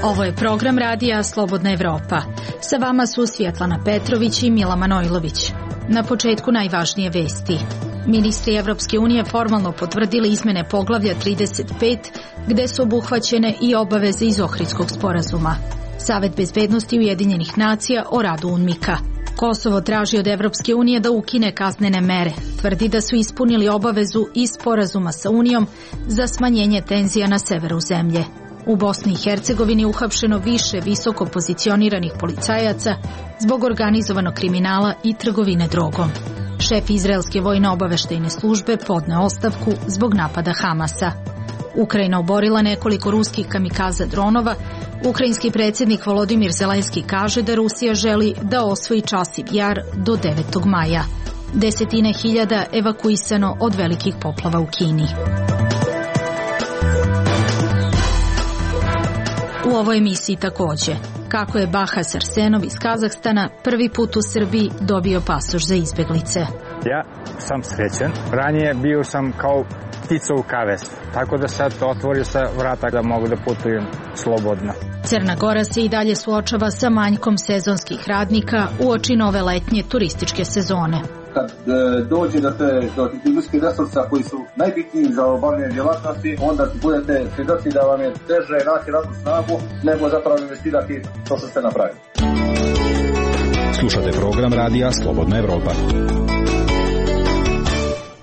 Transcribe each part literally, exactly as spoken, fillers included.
Ovo je program radija Slobodna Evropa. Sa vama su Svjetlana Petrović i Mila Manojlović. Na početku najvažnije vesti. Ministri Evropske unije formalno potvrdili izmene poglavlja trideset pet, gde su obuhvaćene i obaveze iz Ohridskog sporazuma. Savet bezbednosti Ujedinjenih nacija o radu UNMIK-a. Kosovo traži od Evropske unije da ukine kaznene mere. Tvrdi da su ispunili obavezu iz sporazuma sa Unijom za smanjenje tenzija na severu zemlje. U Bosni i Hercegovini uhapšeno više visoko pozicioniranih policajaca zbog organizovanog kriminala i trgovine drogom. Šef izraelske vojno-obaveštajne službe podneo ostavku zbog napada Hamasa. Ukrajina oborila nekoliko ruskih kamikaza dronova. Ukrajinski predsjednik Volodimir Zelenski kaže da Rusija želi da osvoji Časiv Jar do devetog maja. Desetine hiljada evakuisano od velikih poplava u Kini. U ovoj emisiji također, kako je Bahas Arsenov iz Kazahstana prvi put u Srbiji dobio pasoš za izbjeglice. Ja sam srećen. Ranije bio sam kao ptica u kavesu, tako da sad otvorio se vrata da mogu da putujem slobodno. Crna Gora se i dalje suočava sa manjkom sezonskih radnika uoči nove letnje turističke sezone. Kad e, dođe do, te, do tih ljudskih resursa koji su najbitniji za obavljanje djelatnosti, onda budete svjedoci da vam je teže naći radnu snagu nego zapravo investirati to što ste napravili. Slušate program radija Slobodna Evropa.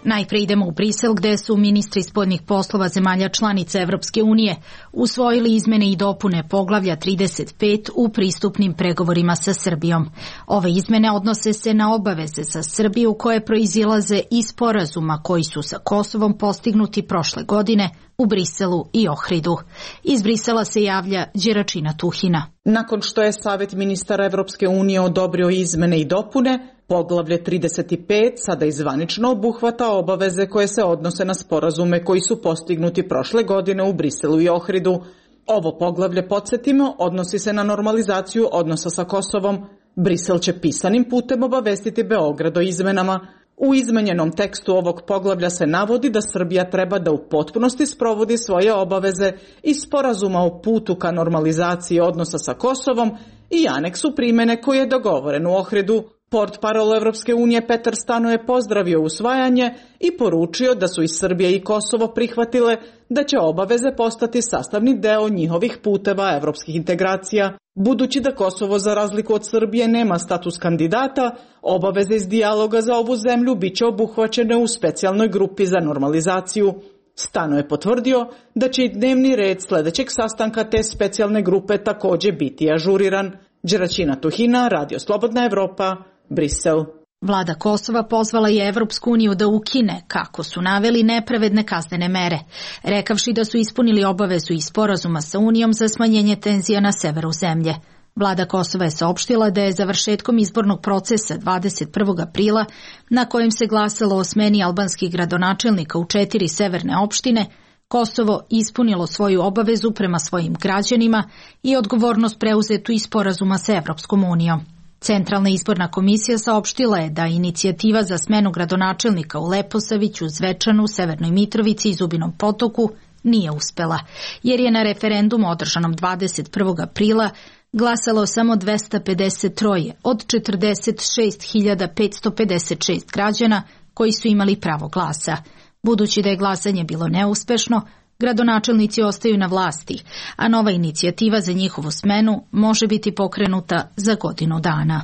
Najprije idemo u Brisel, gde su ministri spoljnih poslova zemalja članica Evropske unije usvojili izmene i dopune poglavlja trideset pet u pristupnim pregovorima sa Srbijom. Ove izmene odnose se na obaveze za Srbiju koje proizilaze iz sporazuma koji su sa Kosovom postignuti prošle godine u Briselu i Ohridu. Iz Brisela se javlja Đeračina Tuhina. Nakon što je Savet ministara Evropske unije odobrio izmene i dopune, poglavlje trideset pet sada izvanično obuhvata obaveze koje se odnose na sporazume koji su postignuti prošle godine u Briselu i Ohridu. Ovo poglavlje, podsjetimo, odnosi se na normalizaciju odnosa sa Kosovom. Brisel će pisanim putem obavestiti Beograd o izmenama. U izmenjenom tekstu ovog poglavlja se navodi da Srbija treba da u potpunosti sprovodi svoje obaveze iz sporazuma o putu ka normalizaciji odnosa sa Kosovom i aneksu primene koji je dogovoren u Ohridu. Portparol Evropske unije Petar Stano je pozdravio usvajanje i poručio da su i Srbija i Kosovo prihvatile da će obaveze postati sastavni deo njihovih puteva evropskih integracija. Budući da Kosovo za razliku od Srbije nema status kandidata, obaveze iz dijaloga za ovu zemlju bit će obuhvaćene u specijalnoj grupi za normalizaciju. Stano je potvrdio da će i dnevni red sljedećeg sastanka te specijalne grupe također biti ažuriran. Đeračina Tuhina, Radio Slobodna Evropa, Brisel. Vlada Kosova pozvala je Evropsku uniju da ukine, kako su naveli, nepravedne kaznene mere, rekavši da su ispunili obavezu iz sporazuma sa Unijom za smanjenje tenzija na severu zemlje. Vlada Kosova je saopštila da je završetkom izbornog procesa dvadeset prvog aprila, na kojem se glasalo o smeni albanskih gradonačelnika u četiri severne opštine, Kosovo ispunilo svoju obavezu prema svojim građanima i odgovornost preuzetu iz sporazuma sa Evropskom unijom. Centralna izborna komisija saopštila je da inicijativa za smenu gradonačelnika u Leposaviću, Zvečanu, Severnoj Mitrovici i Zubinom Potoku nije uspela, jer je na referendumu održanom dvadeset prvog aprila glasalo samo dvesta pedeset tri od četrdeset šest hiljada petsto pedeset šest građana koji su imali pravo glasa. Budući da je glasanje bilo neuspešno, gradonačelnici ostaju na vlasti, a nova inicijativa za njihovu smenu može biti pokrenuta za godinu dana.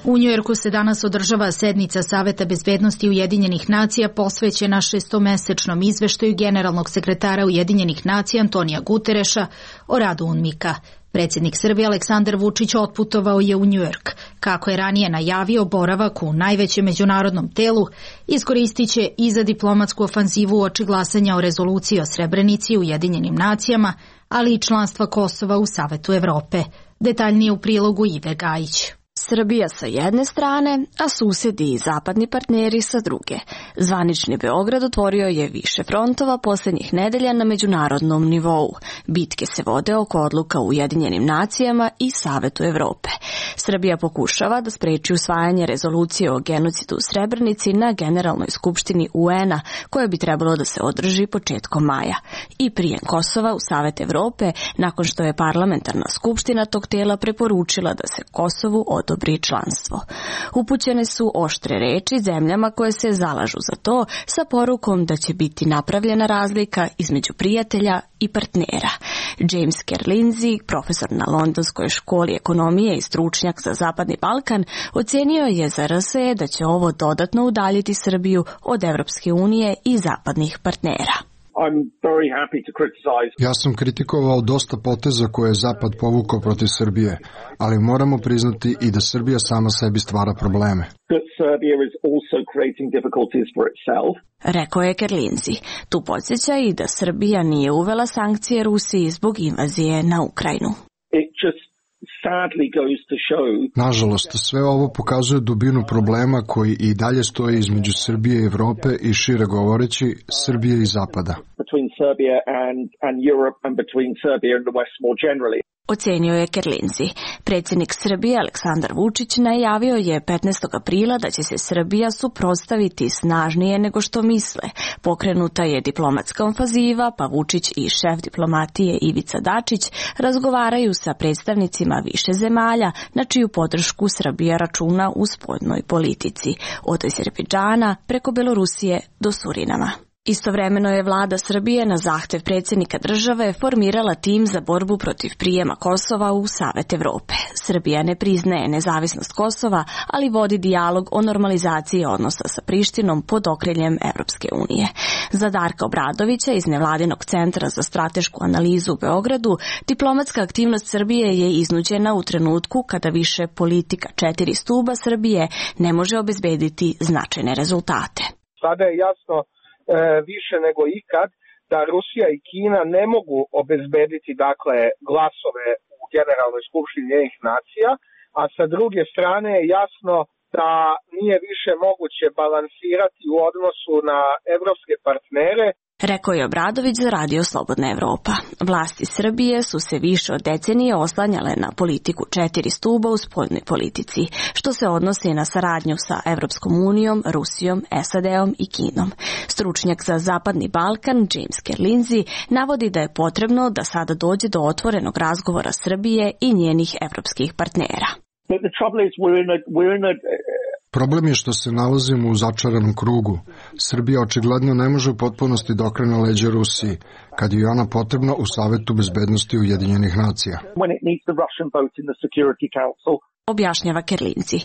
U Njujorku se danas održava sednica Saveta bezbednosti Ujedinjenih nacija posvećena šestomesečnom izveštaju generalnog sekretara Ujedinjenih nacija Antonija Gutereša o radu UNMIK-a. Predsjednik Srbije Aleksandar Vučić otputovao je u Njujork. Kako je ranije najavio, boravak u najvećem međunarodnom telu iskoristit će i za diplomatsku ofanzivu uoči glasanja o rezoluciji o Srebrenici u Ujedinjenim nacijama, ali i članstva Kosova u Savetu Evrope. Detaljnije u prilogu Ive Gajić. Srbija sa jedne strane, a susedi i zapadni partneri sa druge. Zvanični Beograd otvorio je više frontova posljednjih nedelja na međunarodnom nivou. Bitke se vode oko odluka u Ujedinjenim nacijama i Savetu Evrope. Srbija pokušava da spreči usvajanje rezolucije o genocidu u Srebrenici na Generalnoj skupštini U N a, koja bi trebalo da se održi početkom maja. I prijem Kosova u Savet Evrope, nakon što je parlamentarna skupština tog tela preporučila da se Kosovu odobri članstvo. Upućene su oštre reči zemljama koje se zalažu za to, sa porukom da će biti napravljena razlika između prijatelja i partnera. James Kerlinzi, profesor na Londonskoj školi ekonomije i stručnjak za Zapadni Balkan, ocenio je za R S E da će ovo dodatno udaljiti Srbiju od Evropske unije i zapadnih partnera. Ja sam kritikovao dosta poteza koje je Zapad povukao protiv Srbije, ali moramo priznati i da Srbija sama sebi stvara probleme. Rekao je Kerlinzi. Tu podsjeća i da Srbija nije uvela sankcije Rusiji zbog invazije na Ukrajinu. Nažalost, sve ovo pokazuje dubinu problema koji i dalje stoji između Srbije i Evrope i šire govoreći Srbije i Zapada. Ocenio je Kerlinzi. Predsjednik Srbije Aleksandar Vučić najavio je petnaestog aprila da će se Srbija suprotstaviti snažnije nego što misle. Pokrenuta je diplomatska ofanziva, pa Vučić i šef diplomatije Ivica Dačić razgovaraju sa predstavnicima više zemalja na čiju podršku Srbija računa u spoljnoj politici, od Azerbejdžana preko Belorusije do Surinama. Istovremeno je vlada Srbije na zahtev predsjednika države formirala tim za borbu protiv prijema Kosova u Savet Evrope. Srbija ne priznaje nezavisnost Kosova, ali vodi dijalog o normalizaciji odnosa sa Prištinom pod okriljem Evropske unije. Za Darka Obradovića iz Nevladinog centra za stratešku analizu u Beogradu, diplomatska aktivnost Srbije je iznuđena u trenutku kada više politika četiri stuba Srbije ne može obezbediti značajne rezultate. Sada je jasno više nego ikad da Rusija i Kina ne mogu obezbediti dakle glasove u Generalnoj skupštini Ujedinjenih nacija, a sa druge strane je jasno da nije više moguće balansirati u odnosu na evropske partnere. Rekao je Obradović za Radio Slobodna Evropa. Vlasti Srbije su se više od decenije oslanjale na politiku četiri stuba u spoljnoj politici, što se odnosi na saradnju sa Evropskom unijom, Rusijom, S A D-om i Kinom. Stručnjak za Zapadni Balkan, James Kerlinzi, navodi da je potrebno da sada dođe do otvorenog razgovora Srbije i njenih evropskih partnera. Problem je što se nalazimo u začaranom krugu. Srbija očigledno ne može u potpunosti da okrene leđa Rusiji, kad je ona potrebna u Savetu bezbednosti Ujedinjenih nacija. Objašnjava Kerlinzi.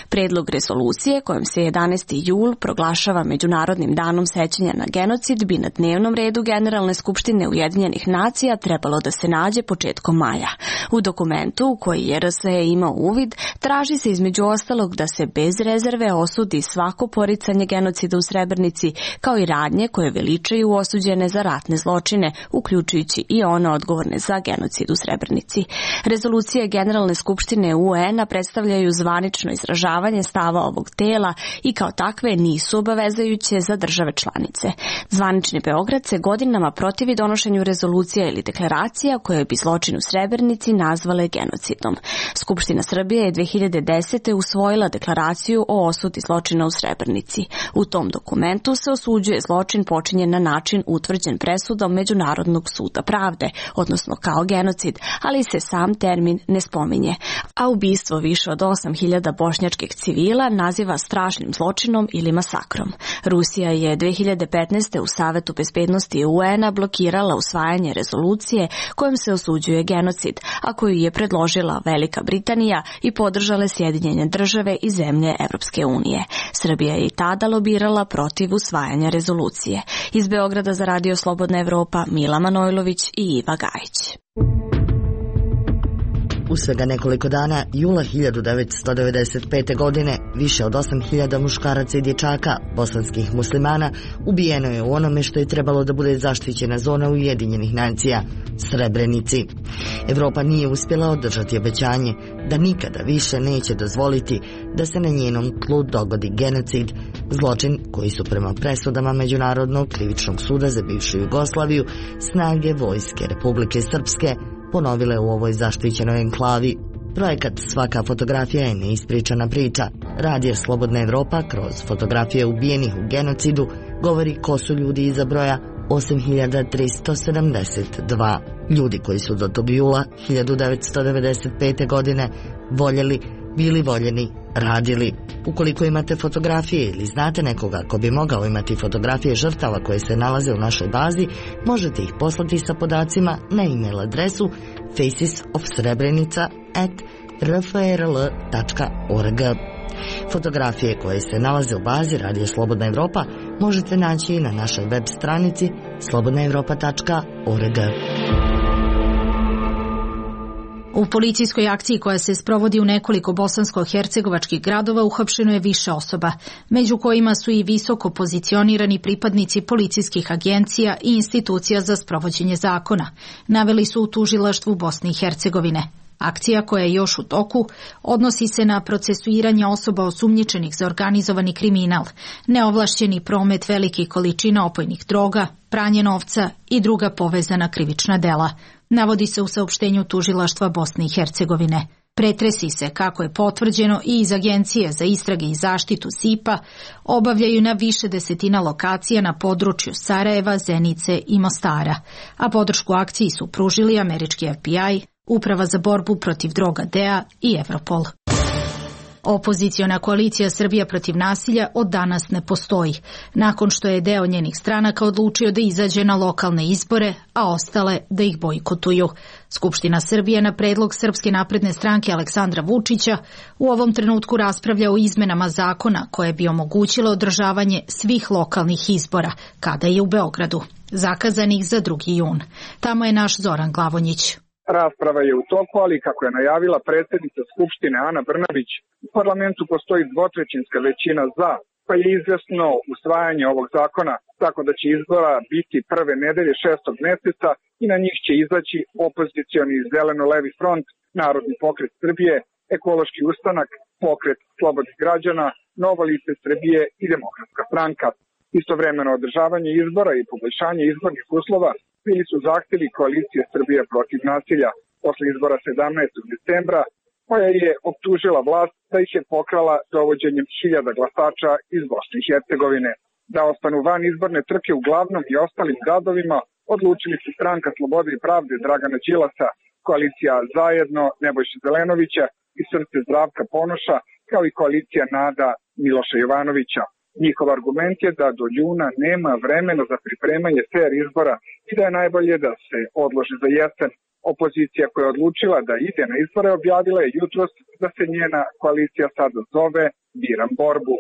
Predlog rezolucije kojom se jedanaesti jul proglašava Međunarodnim danom sećanja na genocid bi na dnevnom redu Generalne skupštine Ujedinjenih nacija trebalo da se nađe početkom maja. U dokumentu u koji je R S E imao uvid traži se između ostalog da se bez rezerve osudi svako poricanje genocida u Srebrenici, kao i radnje koje veličaju osuđene za ratne zločine, uključujući i one odgovorne za genocid u Srebrenici. Rezolucije Generalne skupštine U N a predstavljaju zvanično izražavanje stava ovog tela i kao takve nisu obavezajuće za države članice. Zvanični Beograd se godinama protivi donošenju rezolucija ili deklaracija koje bi zločin u Srebrenici nazvale genocidom. Skupština Srbije je dve hiljade desete. usvojila deklaraciju o osudi zločina u Srebrenici. U tom dokumentu se osuđuje zločin počinjen na način utvrđen presudom Međunarodnog suda pravde, odnosno kao genocid, ali se sam termin ne spominje. A ubistvo više od osam hiljada bošnjačkih civila naziva strašnim zločinom ili masakrom. Rusija je dve hiljade petnaeste. u Savetu bezbednosti U N a blokirala usvajanje rezolucije kojom se osuđuje genocid, a koju je predložila Velika Britanija i podržale Sjedinjene države i zemlje Evropske unije. Srbija je i tada lobirala protiv usvajanja rezolucije. Iz Beograda za Radio Slobodna Evropa, Mila Manojlović i Iva Gajić. U svega nekoliko dana, jula hiljadu devetsto devedeset pete. godine, više od osam hiljada muškaraca i dječaka, bosanskih muslimana, ubijeno je u onome što je trebalo da bude zaštićena zona Ujedinjenih nacija, Srebrenici. Evropa nije uspjela održati obećanje da nikada više neće dozvoliti da se na njenom tlu dogodi genocid, zločin koji su prema presudama Međunarodnog krivičnog suda za bivšu Jugoslaviju snage vojske Republike Srpske ponovile u ovoj zaštićenoj enklavi. Projekat Svaka fotografija je neispričana priča. Radio Slobodna Evropa kroz fotografije ubijenih u genocidu govori ko su ljudi iza broja osam hiljada tristo sedamdeset dva. Ljudi koji su do tog jula hiljadu devetsto devedeset pete. godine voljeli, bili voljeni, radili. Ukoliko imate fotografije ili znate nekoga ko bi mogao imati fotografije žrtava koje se nalaze u našoj bazi, možete ih poslati sa podacima na e-mail adresu faces of srebrenica at r f r l tačka org. Fotografije koje se nalaze u bazi Radio Slobodna Evropa možete naći i na našoj web stranici slobodna evropa tačka org. U policijskoj akciji koja se sprovodi u nekoliko bosansko-hercegovačkih gradova uhapšeno je više osoba, među kojima su i visoko pozicionirani pripadnici policijskih agencija i institucija za sprovođenje zakona, naveli su u tužilaštvu Bosne i Hercegovine. Akcija, koja je još u toku, odnosi se na procesuiranje osoba osumnjičenih za organizovani kriminal, neovlašćeni promet velikih količina opojnih droga, pranje novca i druga povezana krivična dela, navodi se u saopštenju tužilaštva Bosne i Hercegovine. Pretresi se, kako je potvrđeno, i iz Agencije za istrage i zaštitu S I P-a obavljaju na više desetina lokacija na području Sarajeva, Zenice i Mostara, a podršku akciji su pružili američki F B I, Uprava za borbu protiv droga D E A i Europol. Opoziciona koalicija Srbija protiv nasilja od danas ne postoji, nakon što je deo njenih stranaka odlučio da izađe na lokalne izbore, a ostale da ih bojkotuju. Skupština Srbije na predlog Srpske napredne stranke Aleksandra Vučića u ovom trenutku raspravlja o izmenama zakona koje bi omogućilo održavanje svih lokalnih izbora, kada je u Beogradu, zakazanih za drugi jun. Tamo je naš Zoran Glavonjić. Rasprava je u toku, ali kako je najavila predsjednica Skupštine Ana Brnabić, u parlamentu postoji dvotrećinska većina za, pa je izvjesno usvajanje ovog zakona, tako da će izbora biti prve nedelje šestog mjeseca i na njih će izaći opozicioni zeleno-levi front, Narodni pokret Srbije, Ekološki ustanak, Pokret slobodnih građana, Novo lice Srbije i Demokratska stranka. Istovremeno održavanje izbora i poboljšanje izbornih uslova bili su zahtjevi koalicije Srbije protiv nasilja posle izbora sedamnaestog decembra, koja je optužila vlast da ih je pokrala dovođenjem hiljada glasača iz Bosne i Hercegovine. Da ostanu van izborne trke u glavnom i ostalim gradovima odlučili su Stranka slobode i pravde Dragana Đilasa, koalicija Zajedno Nebojše Zelenovića i Srce Zdravka Ponoša, kao i koalicija Nada Miloša Jovanovića. Njihov argument je da do juna nema vremena za pripremanje fer izbora i da je najbolje da se odloži za jesen. Opozicija koja je odlučila da ide na izbore objavila je jutros da se njena koalicija sada zove Biram borbu.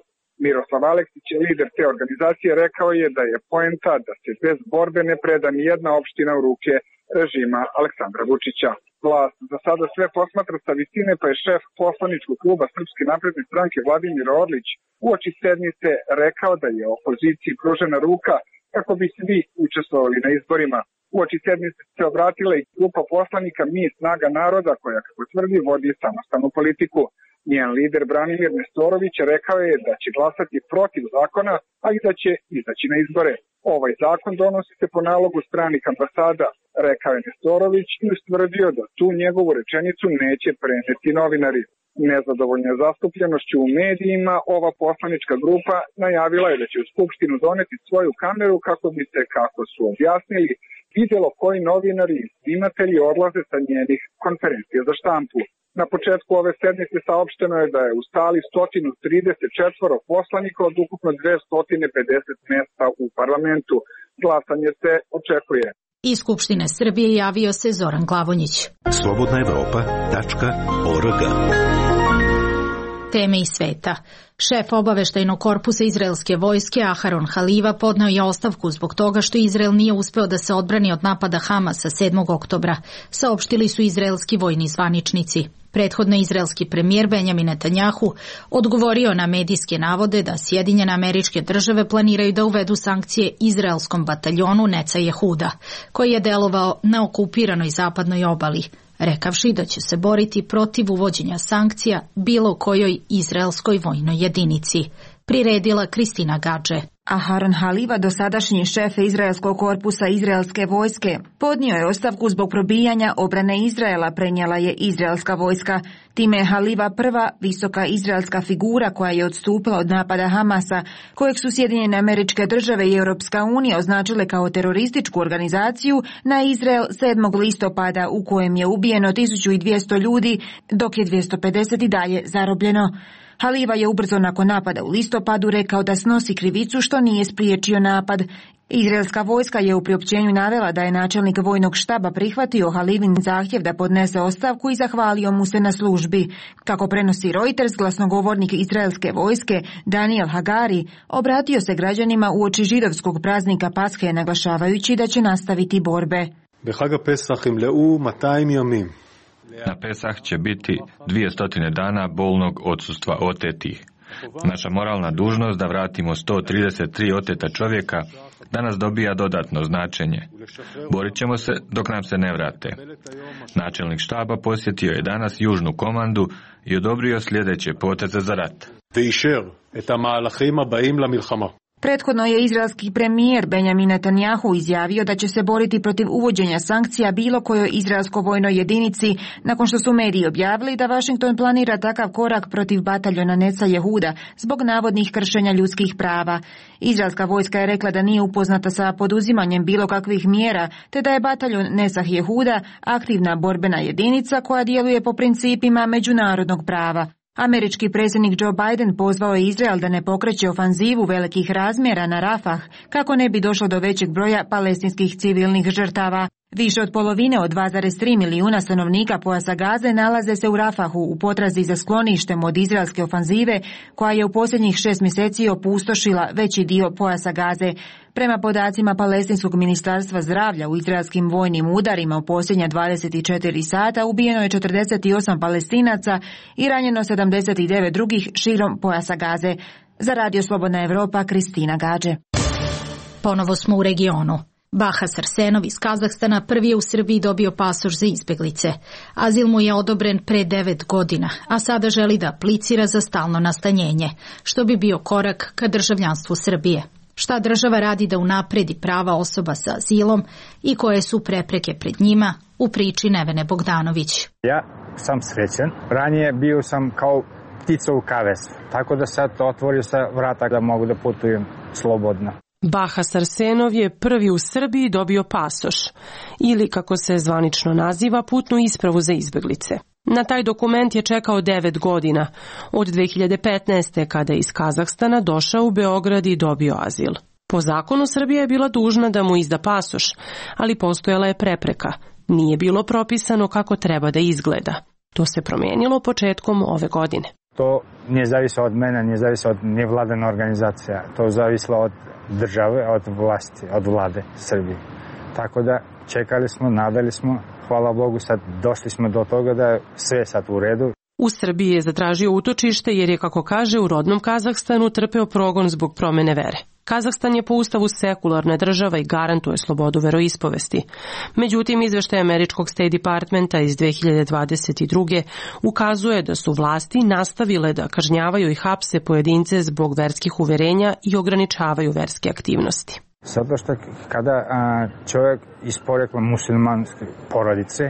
Miroslav Aleksić, lider te organizacije, rekao je da je poenta da se bez borbe ne preda ni jedna opština u ruke režima Aleksandra Vučića. Vlast za sada sve posmatra sa visine, pa je šef poslaničkog kluba Srpske napredne stranke Vladimir Orlić uoči sednice rekao da je opoziciji pružena ruka kako bi svi učestvovali na izborima. Uoči sednice se obratila i grupa poslanika Mi snaga naroda, koja, kako tvrdi, vodi samostalnu politiku. Njen lider Branimir Nestorović rekao je da će glasati protiv zakona, a i da će izaći na izbore. Ovaj zakon donosi se po nalogu stranih ambasada, rekao je Nestorović i ustvrdio da tu njegovu rečenicu neće preneti novinari. Nezadovoljna zastupljenošću u medijima, ova poslanička grupa najavila je da će u Skupštinu doneti svoju kameru kako bi se, kako su objasnili, vidjelo koji novinari i snimatelji odlaze sa njenih konferencija za štampu. Na početku ove sednice saopšteno je da je u sali sto trideset četiri poslanika od ukupno dvesta pedeset mjesta u parlamentu. Glasanje se očekuje. Iz Skupštine Srbije javio se Zoran Glavonjić. slobodna evropa tačka org. Teme iz sveta. Šef obaveštajnog korpusa izraelske vojske Aharon Haliva podneo je ostavku zbog toga što Izrael nije uspeo da se odbrani od napada Hamasa sedmog oktobra, saopštili su izraelski vojni zvaničnici. Prethodno izraelski premijer Benjamin Netanjahu odgovorio na medijske navode da Sjedinjene Američke Države planiraju da uvedu sankcije izraelskom bataljonu Neca Jehuda, koji je delovao na okupiranoj zapadnoj obali, rekavši da će se boriti protiv uvođenja sankcija bilo kojoj izraelskoj vojnoj jedinici. Priredila Kristina Gadže. Aharon Haliva, dosadašnji šef izraelskog korpusa izraelske vojske, podnio je ostavku zbog probijanja obrane Izraela, prenijela je izraelska vojska. Time je Haliva prva visoka izraelska figura koja je odstupila od napada Hamasa, kojeg su Sjedinjene Američke Države i Europska unija označile kao terorističku organizaciju, na Izrael sedmog listopada, u kojem je ubijeno tisuću dvjesto ljudi, dok je dvjesto pedeset i dalje zarobljeno. Haliva je ubrzo nakon napada u listopadu rekao da snosi krivicu što nije spriječio napad. Izraelska vojska je u priopćenju navela da je načelnik vojnog štaba prihvatio Halivin zahtjev da podnese ostavku i zahvalio mu se na službi. Kako prenosi Reuters, glasnogovornik izraelske vojske Daniel Hagari obratio se građanima uoči židovskog praznika Pashe, naglašavajući da će nastaviti borbe. Na Pesah će biti dvjesto dana bolnog odsustva otetih. Naša moralna dužnost da vratimo sto trideset tri oteta čovjeka danas dobija dodatno značenje. Borit ćemo se dok nam se ne vrate. Načelnik štaba posjetio je danas južnu komandu i odobrio sljedeće poteze za rat. Prethodno je izraelski premijer Benjamin Netanjahu izjavio da će se boriti protiv uvođenja sankcija bilo kojoj izraelskoj vojnoj jedinici, nakon što su mediji objavili da Washington planira takav korak protiv bataljona Neca Jehuda zbog navodnih kršenja ljudskih prava. Izraelska vojska je rekla da nije upoznata sa poduzimanjem bilo kakvih mjera, te da je bataljon Neca Jehuda aktivna borbena jedinica koja djeluje po principima međunarodnog prava. Američki predsjednik Joe Biden pozvao je Izrael da ne pokreće ofanzivu velikih razmjera na Rafah kako ne bi došlo do većeg broja palestinskih civilnih žrtava. Više od polovine od dva zarez tri milijuna stanovnika pojasa Gaze nalaze se u Rafahu u potrazi za skloništem od izraelske ofanzive koja je u posljednjih šest mjeseci opustošila veći dio pojasa Gaze. Prema podacima Palestinskog ministarstva zdravlja, u izraelskim vojnim udarima u posljednja dvadeset četiri sata ubijeno je četrdeset osam Palestinaca i ranjeno sedamdeset devet drugih širom pojasa Gaze. Za Radio Slobodna Evropa, Kristina Gadže. Ponovo smo u regionu. Bahas Arsenov iz Kazahstana prvi je u Srbiji dobio pasoš za izbjeglice. Azil mu je odobren pre devet godina, a sada želi da aplicira za stalno nastanjenje, što bi bio korak ka državljanstvu Srbije. Šta država radi da unapredi prava osoba sa azilom i koje su prepreke pred njima, u priči Nevene Bogdanović. Ja sam srećen. Ranije bio sam kao ptica u kavesu, tako da sad otvorio se vrata da mogu da putujem slobodno. Bahas Arsenov je prvi u Srbiji dobio pasoš, ili kako se zvanično naziva, putnu ispravu za izbjeglice. Na taj dokument je čekao devet godina, od dve hiljade petnaeste. kada je iz Kazahstana došao u Beograd i dobio azil. Po zakonu Srbija je bila dužna da mu izda pasoš, ali postojala je prepreka. Nije bilo propisano kako treba da izgleda. To se promijenilo početkom ove godine. To nije zavisilo od mene, nije zavisilo od nevladene organizacija. To zavisilo od države, od vlasti, od vlade Srbije. Tako da čekali smo, nadali smo, hvala Bogu, sad došli smo do toga da je sve sad u redu. U Srbiji je zatražio utočište jer je, kako kaže, u rodnom Kazahstanu trpeo progon zbog promjene vere. Kazahstan je po ustavu sekularna država i garantuje slobodu veroispovesti. Međutim, izveštaj američkog State Departmenta iz dve hiljade dvadeset druge. ukazuje da su vlasti nastavile da kažnjavaju i hapse pojedince zbog verskih uverenja i ograničavaju verske aktivnosti. Zato što kada a, čovjek iz porekla muslimanske porodice,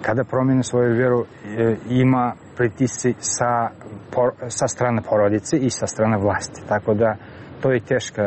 kada promijeni svoju vjeru, e, ima pritisci sa, por, sa strane porodice i sa strane vlasti. Tako da to je teško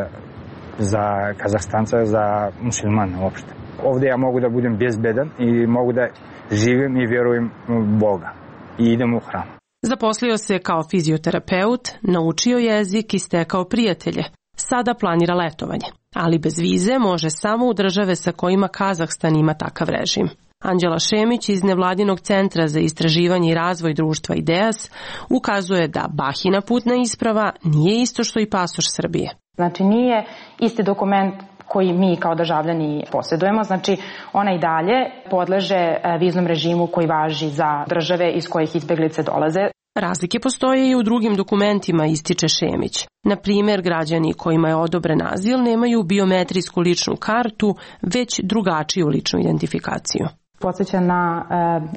za Kazahstanca, za muslimane uopšte. Ovdje ja mogu da budem bezbedan i mogu da živim i vjerujem u Boga i idem u hram. Zaposlio se kao fizioterapeut, naučio jezik i stekao prijatelje. Sada planira letovanje, ali bez vize može samo u države sa kojima Kazahstan ima takav režim. Anđela Šemić iz Nevladinog centra za istraživanje i razvoj društva IDEAS ukazuje da Bahina putna isprava nije isto što i pasoš Srbije. Znači nije isti dokument koji mi kao državljani posjedujemo, znači ona i dalje podleže viznom režimu koji važi za države iz kojih izbjeglice dolaze. Razlike postoje i u drugim dokumentima, ističe Šemić. Na primjer, građani kojima je odobren azil nemaju biometrijsku ličnu kartu, već drugačiju ličnu identifikaciju. Podsjeća na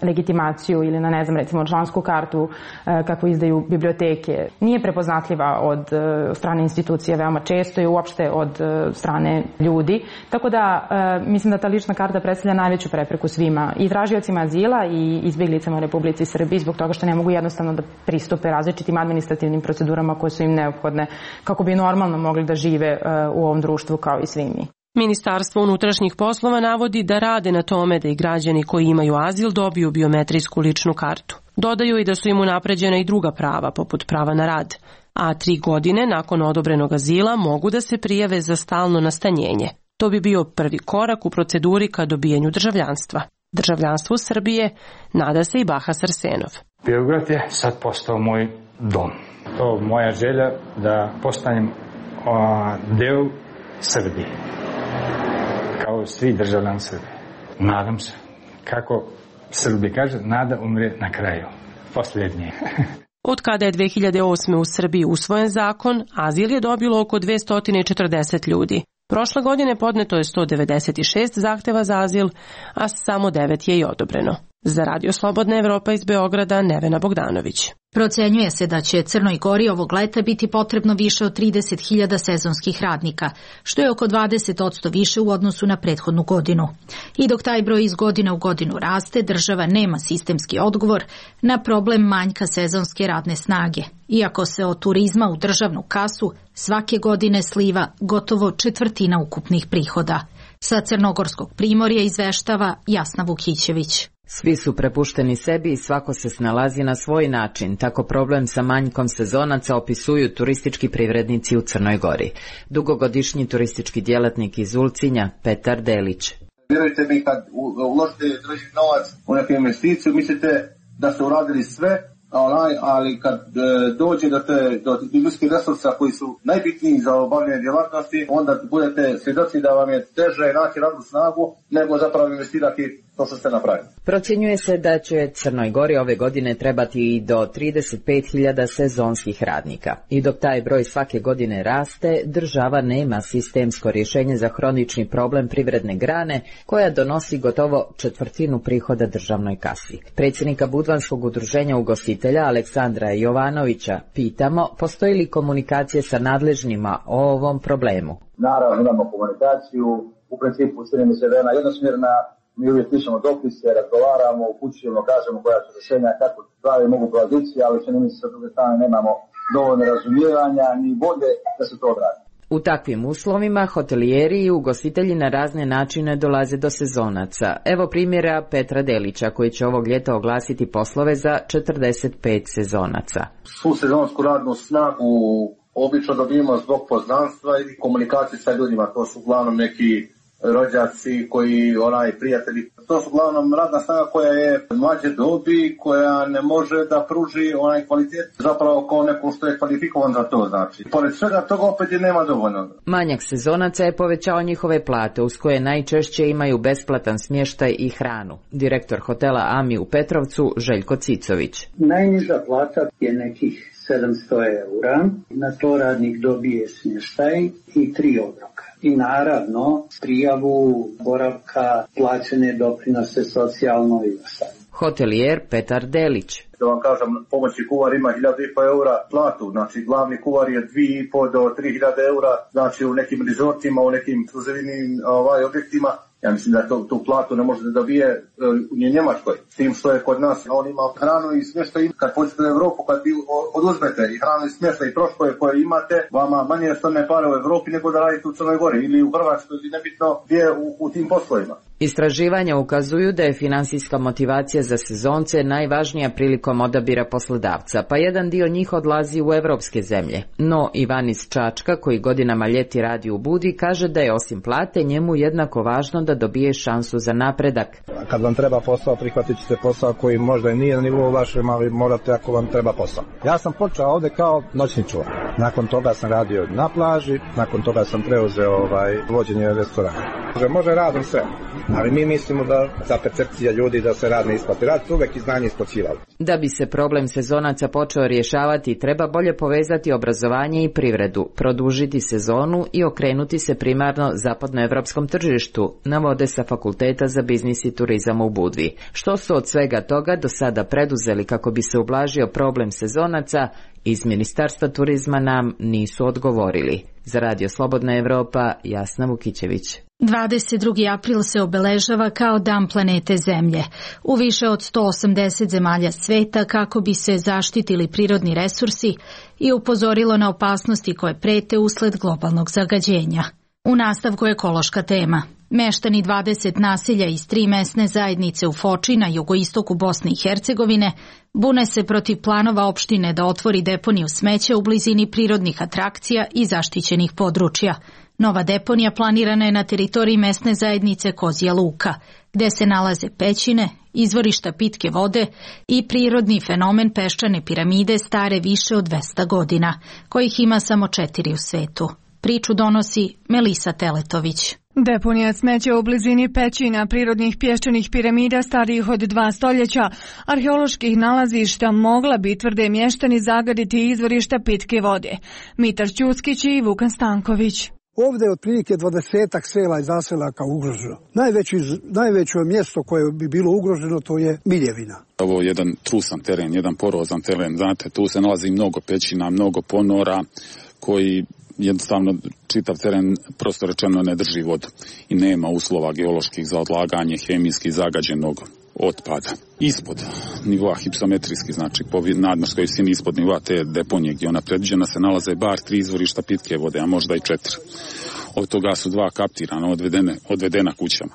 e, legitimaciju ili na, ne znam, recimo člansku kartu e, kako izdaju biblioteke. Nije prepoznatljiva od e, strane institucije veoma često i uopšte od e, strane ljudi. Tako da e, mislim da ta lična karta predstavlja najveću prepreku svima i tražiocima azila i izbjeglicama u Republici Srbiji zbog toga što ne mogu jednostavno da pristupe različitim administrativnim procedurama koje su im neophodne kako bi normalno mogli da žive e, u ovom društvu kao i svi mi. Ministarstvo unutrašnjih poslova navodi da rade na tome da i građani koji imaju azil dobiju biometrijsku ličnu kartu. Dodaju i da su im unapređena i druga prava, poput prava na rad. A tri godine nakon odobrenog azila mogu da se prijave za stalno nastanjenje. To bi bio prvi korak u proceduri ka dobijanju državljanstva. Državljanstvu Srbije nada se i Bahas Arsenov. Beograd je sad postao moj dom. To je moja želja da postanem a, deo Srbije. Kao svi državljani Srbije. Nadam se. Kako Srbi kaže, nada umre na kraju. Posljednje. Od kada je dve hiljade osme u Srbiji usvojen zakon, azil je dobilo oko dvesta četrdeset ljudi. Prošle godine podneto je sto devedeset šest zahteva za azil, a samo devet je i odobreno. Za Radio Slobodna Evropa iz Beograda, Nevena Bogdanović. Procenjuje se da će Crnoj Gori ovog leta biti potrebno više od trideset hiljada sezonskih radnika, što je oko dvadeset posto više u odnosu na prethodnu godinu. I dok taj broj iz godine u godinu raste, država nema sistemski odgovor na problem manjka sezonske radne snage, iako se od turizma u državnu kasu svake godine sliva gotovo četvrtina ukupnih prihoda. Sa Crnogorskog primorja izveštava Jasna Vukićević. Svi su prepušteni sebi i svako se snalazi na svoj način. Tako problem sa manjkom sezonaca opisuju turistički privrednici u Crnoj Gori. Dugogodišnji turistički djelatnik iz Ulcinja, Petar Delić. Vjerujte mi, kad uložite državni novac u neku investiciju, mislite da ste uradili sve, ali kad dođe do, te, do tih ljudskih resursa koji su najbitniji za obavljanje djelatnosti, onda budete svjedoci da vam je teže naći radnu snagu nego zapravo investirati to što ste napravili. Procjenjuje se da će Crnoj Gori ove godine trebati i do trideset pet hiljada sezonskih radnika. I dok taj broj svake godine raste, država nema sistemsko rješenje za hronični problem privredne grane koja donosi gotovo četvrtinu prihoda državnoj kasi. Predsjednika Budvanskog udruženja ugostitelja Aleksandra Jovanovića pitamo postoji li komunikacije sa nadležnima o ovom problemu. Naravno imamo komunikaciju, u principu čini mi se da je ona jednosmjerna. Mi uvijek pišemo dopise, razgovaramo, upućujemo, kažemo koja su rješenja, kako stvari mogu provoditi, ali čini mi se sa druge strane nemamo dovoljno razumijevanja ni volje da se to odradi. U takvim uslovima hotelijeri i ugostitelji na razne načine dolaze do sezonaca. Evo primjera Petra Delića koji će ovog ljeta oglasiti poslove za četrdeset pet sezonaca. Svu sezonsku radnu snagu obično dobijemo zbog poznanstva i komunikacije sa ljudima. To su uglavnom neki rođaci koji, onaj, prijatelji. To su uglavnom radna snaga koja je mlađe dobi, koja ne može da pruži onaj kvalitet zapravo kao neko što je kvalifikovan za to, znači. Pored svega toga opet je nema dovoljno. Manjak sezonaca je povećao njihove plate, uz koje najčešće imaju besplatan smještaj i hranu. Direktor hotela Ami u Petrovcu, Željko Cicović. Najniža plata je nekih sedamsto eura, na to radnik dobije smještaj i tri obroka. I naravno prijavu boravka, plaćene doprinose socijalno i ostalo. Hotelijer Petar Delić. Da vam kažem, pomoćni kuvar ima hiljadu i po eura platu, znači glavni kuvar je dvije i po do tri hiljade eura, znači u nekim rezortima, u nekim ekskluzivnim ovaj, objektima. Ja mislim da to, tu platu ne može da dobije u Njemačkoj, s tim što je kod nas. On ima hranu i smještaj. Kad pođete u Evropu, kad vi oduzmete i hranu i smještaj i troškove koje imate, vama manje stone pare u Evropi nego da radite u Crnoj Gori ili u Hrvatskoj ili nebitno gdje u, u tim poslovima. Istraživanja ukazuju da je finansijska motivacija za sezonce najvažnija prilikom odabira poslodavca, pa jedan dio njih odlazi u evropske zemlje. No Ivan iz Čačka, koji godinama ljeti radi u Budi, kaže da je osim plate njemu jednako važno da dobije šansu za napredak. Kad vam treba posao, prihvatit ćete posao koji možda i nije na nivou vašem, ali morate ako vam treba posao. Ja sam počeo ovde kao noćni čuvar. Nakon toga sam radio na plaži, nakon toga sam preuzeo ovaj, vođenje restorana. Može, može radom sve, ali mi mislimo da za percepcija ljudi da se rad ne isplati. Rad su uvek i znanje isplaćivali. Da bi se problem sezonaca počeo rješavati, treba bolje povezati obrazovanje i privredu, produžiti sezonu i okrenuti se primarno zapadnoevropskom tržištu, navode sa Fakulteta za biznis i turizam u Budvi. Što su od svega toga do sada preduzeli kako bi se ublažio problem sezonaca, iz Ministarstva turizma nam nisu odgovorili. Za Radio Slobodna Evropa, Jasna Vukićević. dvadeset drugi april se obeležava kao Dan planete Zemlje u više od sto osamdeset zemalja sveta kako bi se zaštitili prirodni resursi i upozorilo na opasnosti koje prete usled globalnog zagađenja. U nastavku ekološka tema. Meštani dvadeset naselja iz tri mesne zajednice u Foči na jugoistoku Bosne i Hercegovine bune se protiv planova opštine da otvori deponiju smeća u blizini prirodnih atrakcija i zaštićenih područja. Nova deponija planirana je na teritoriji mesne zajednice Kozja Luka, gde se nalaze pećine, izvorišta pitke vode i prirodni fenomen peščane piramide stare više od dvesta godina, kojih ima samo četiri u svetu. Priču donosi Melisa Teletović. Deponija smeća u blizini pećina prirodnih pješčanih piramida starijih od dva stoljeća, arheoloških nalazišta mogla bi, tvrde mještani, zagaditi izvorišta pitke vode. Mitar Ćuskić i Vukan Stanković. Ovdje je otprilike dvadesetak sela i zaselaka ugroženo. Najveći, najveće mjesto koje bi bilo ugroženo to je Miljevina. Ovo je jedan trusan teren, jedan porozan teren. Znate, tu se nalazi mnogo pećina, mnogo ponora koji jednostavno čitav teren prosto rečeno ne drži vodu i nema uslova geoloških za odlaganje hemijski zagađenog otpada. Ispod nivoa hipsometrijski, znači po nadmorskoj visini ispod nivoa te deponije gdje ona predviđena se nalaze bar tri izvorišta pitke vode, a možda i četiri. Od toga su dva kaptirana, odvedene, odvedena kućama.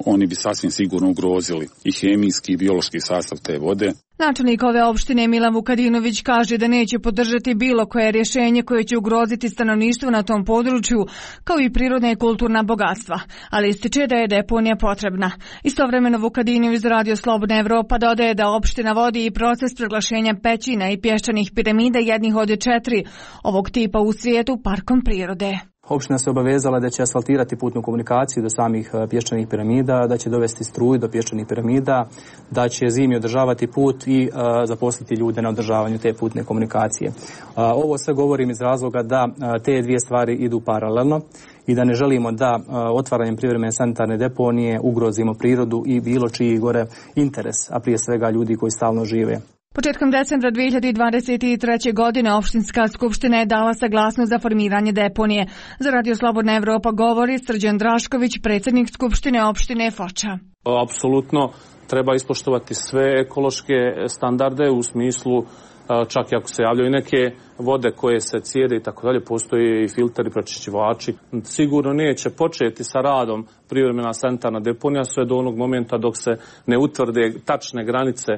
Oni bi sasvim sigurno ugrozili i hemijski i biološki sastav te vode. Načelnik ove opštine Milan Vukadinović kaže da neće podržati bilo koje rješenje koje će ugroziti stanovništvo na tom području, kao i prirodna i kulturna bogatstva, ali ističe da je deponija potrebna. Istovremeno Vukadinović za Radio Slobodna Evropa dodaje da opština vodi i proces proglašenja pećina i pješčanih piramida jednih od četiri ovog tipa u svijetu parkom prirode. Opština se obavezala da će asfaltirati putnu komunikaciju do samih pješčanih piramida, da će dovesti struju do pješčanih piramida, da će zimi održavati put i uh, zaposliti ljude na održavanju te putne komunikacije. Uh, ovo sve govorim iz razloga da uh, te dvije stvari idu paralelno i da ne želimo da uh, otvaranjem privremene sanitarne deponije ugrozimo prirodu i bilo čiji gore interes, a prije svega ljudi koji stalno žive. Početkom decembra dvije hiljade dvadeset treće. godine opštinska skupština je dala saglasnost za formiranje deponije. Za Radio Slobodna Evropa govori Srđan Drašković, predsjednik skupštine opštine Foča. Apsolutno treba ispoštovati sve ekološke standarde u smislu čak i ako se javljaju neke vode koje se cijede i tako dalje, postoje i filteri, pročišćivači. Sigurno neće početi sa radom privremena sanitarna deponija sve do onog momenta dok se ne utvrde tačne granice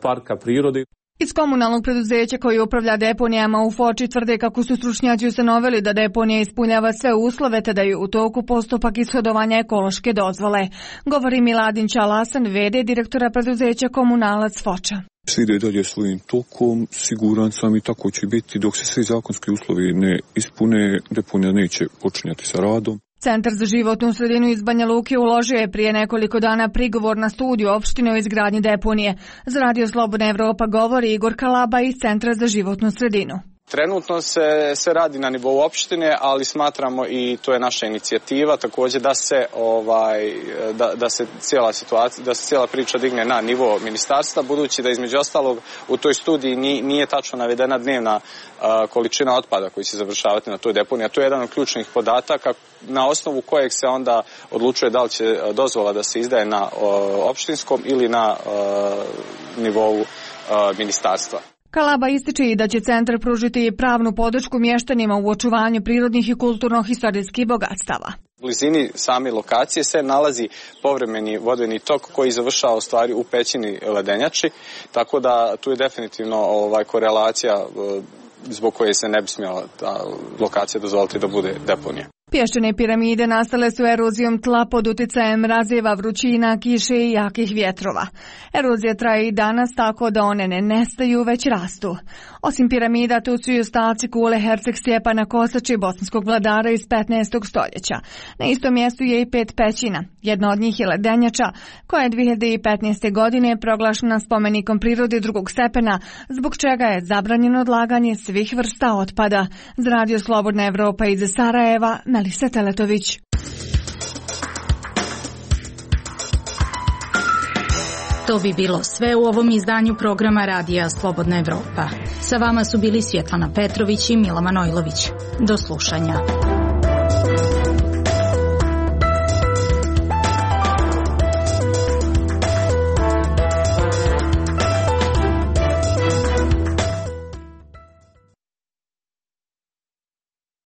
parka prirode. Iz komunalnog preduzeća koji upravlja deponijama u Foči tvrde kako su stručnjaci ustanovili da deponija ispunjava sve uslove te da je u toku postupak ishodovanja ekološke dozvole. Govori Miladin Čalasan, ve de direktora preduzeća Komunalac Foča. Sve ide dalje svojim tokom, siguran sam i tako će biti dok se svi zakonski uslovi ne ispune, deponija neće počinjati sa radom. Centar za životnu sredinu iz Banja Luke uložio je prije nekoliko dana prigovor na studiju opštine o izgradnji deponije. Za Radio Slobodna Evropa govori Igor Kalaba iz Centra za životnu sredinu. Trenutno se, se radi na nivou opštine, ali smatramo i to je naša inicijativa također da se ovaj da, da se cijela situacija, da se cijela priča digne na nivo ministarstva, budući da između ostalog u toj studiji nije, nije tačno navedena dnevna a, količina otpada koji će završavati na toj deponiji, a to je jedan od ključnih podataka na osnovu kojeg se onda odlučuje da li će dozvola da se izdaje na o, opštinskom ili na o, nivou o, ministarstva. Kalaba ističe i da će centar pružiti pravnu podršku mještanima u očuvanju prirodnih i kulturno-historijskih bogatstava. U blizini same lokacije se nalazi povremeni vodeni tok koji završava u stvari u pećini ledenjači, tako da tu je definitivno ovaj, korelacija zbog koje se ne bi smjela ta lokacija dozvoliti da bude deponija. Pješčane piramide nastale su erozijom tla pod uticajem mrazeva, vrućina, kiše i jakih vjetrova. Erozija traje i danas tako da one ne nestaju, već rastu. Osim piramida, tu su i ostaci kule Herceg Stjepana Kosače, bosanskog vladara iz petnaestog stoljeća. Na istom mjestu je i pet pećina. Jedna od njih je ledenjača, koja je dvije hiljade petnaeste. godine proglašena spomenikom prirode drugog stepena, zbog čega je zabranjeno odlaganje svih vrsta otpada. Za Radio Slobodna Evropa iz Sarajeva, Melisa Teletović. To bi bilo sve u ovom izdanju programa Radija Slobodna Evropa. Sa vama su bili Svjetlana Petrović i Mila Manojlović. Do slušanja.